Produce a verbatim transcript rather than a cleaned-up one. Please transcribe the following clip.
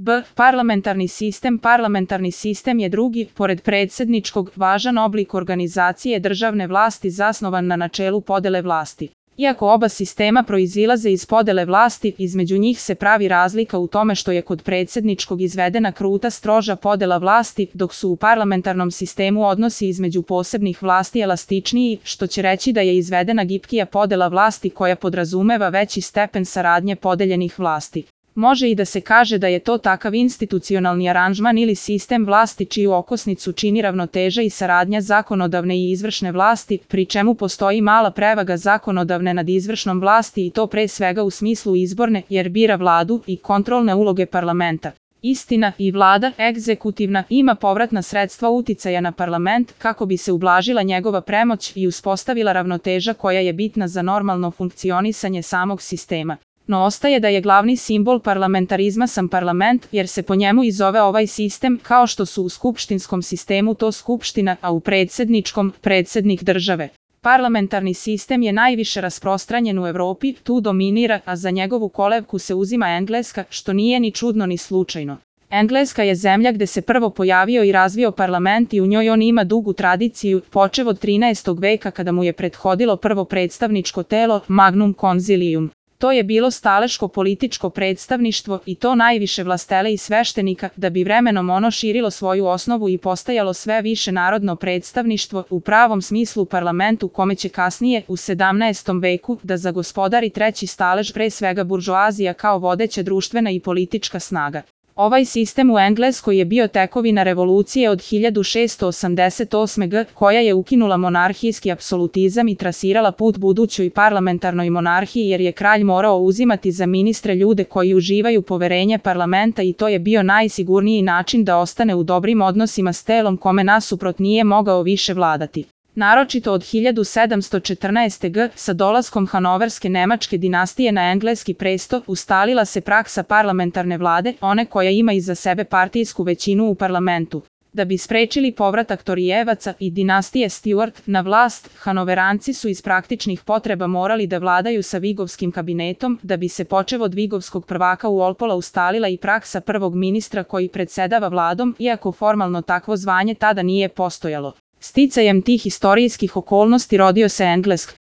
B. Parlamentarni sistem. Parlamentarni sistem je drugi, pored predsjedničkog, važan oblik organizacije državne vlasti zasnovan na načelu podele vlasti. Iako oba sistema proizilaze iz podele vlasti, između njih se pravi razlika u tome što je kod predsjedničkog izvedena kruta stroža podela vlasti, dok su u parlamentarnom sistemu odnosi između posebnih vlasti elastičniji, što će reći da je izvedena gipkija podela vlasti koja podrazumeva veći stepen saradnje podeljenih vlasti. Može i da se kaže da je to takav institucionalni aranžman ili sistem vlasti čiju okosnicu čini ravnoteža i saradnja zakonodavne i izvršne vlasti, pri čemu postoji mala prevaga zakonodavne nad izvršnom vlasti i to pre svega u smislu izborne, jer bira vladu, i kontrolne uloge parlamenta. Istina, i vlada, egzekutivna, ima povratna sredstva uticaja na parlament kako bi se ublažila njegova premoć i uspostavila ravnoteža koja je bitna za normalno funkcionisanje samog sistema. No ostaje da je glavni simbol parlamentarizma sam parlament, jer se po njemu i zove ovaj sistem, kao što su u skupštinskom sistemu to skupština, a u predsjedničkom, predsjednik države. Parlamentarni sistem je najviše rasprostranjen u Evropi, tu dominira, a za njegovu kolevku se uzima Engleska, što nije ni čudno ni slučajno. Engleska je zemlja gde se prvo pojavio i razvio parlament i u njoj on ima dugu tradiciju, počev od trinaestog veka kada mu je prethodilo prvo predstavničko telo, Magnum Concilium. To je bilo staleško političko predstavništvo i to najviše vlastele i sveštenika, da bi vremenom ono širilo svoju osnovu i postajalo sve više narodno predstavništvo, u pravom smislu parlament u kome će kasnije, u sedamnaestom veku, da zagospodari treći stalež, pre svega buržoazija kao vodeća društvena i politička snaga. Ovaj sistem u Engleskoj je bio tekovina revolucije od hiljadu šeststo osamdeset osme. godine koja je ukinula monarhijski apsolutizam i trasirala put budućoj parlamentarnoj monarhiji jer je kralj morao uzimati za ministre ljude koji uživaju poverenje parlamenta i to je bio najsigurniji način da ostane u dobrim odnosima s telom kome nasuprot nije mogao više vladati. Naročito od hiljadu sedamsto četrnaeste. godine sa dolaskom Hanoverske nemačke dinastije na engleski presto ustalila se praksa parlamentarne vlade, one koja ima iza sebe partijsku većinu u parlamentu. Da bi sprečili povratak Torijevaca i dinastije Stuart na vlast, Hanoveranci su iz praktičnih potreba morali da vladaju sa Vigovskim kabinetom, da bi se počev od Vigovskog prvaka u Walpola ustalila i praksa prvog ministra koji predsedava vladom, iako formalno takvo zvanje tada nije postojalo. Sticajem tih istorijskih okolnosti rodio se Englesk.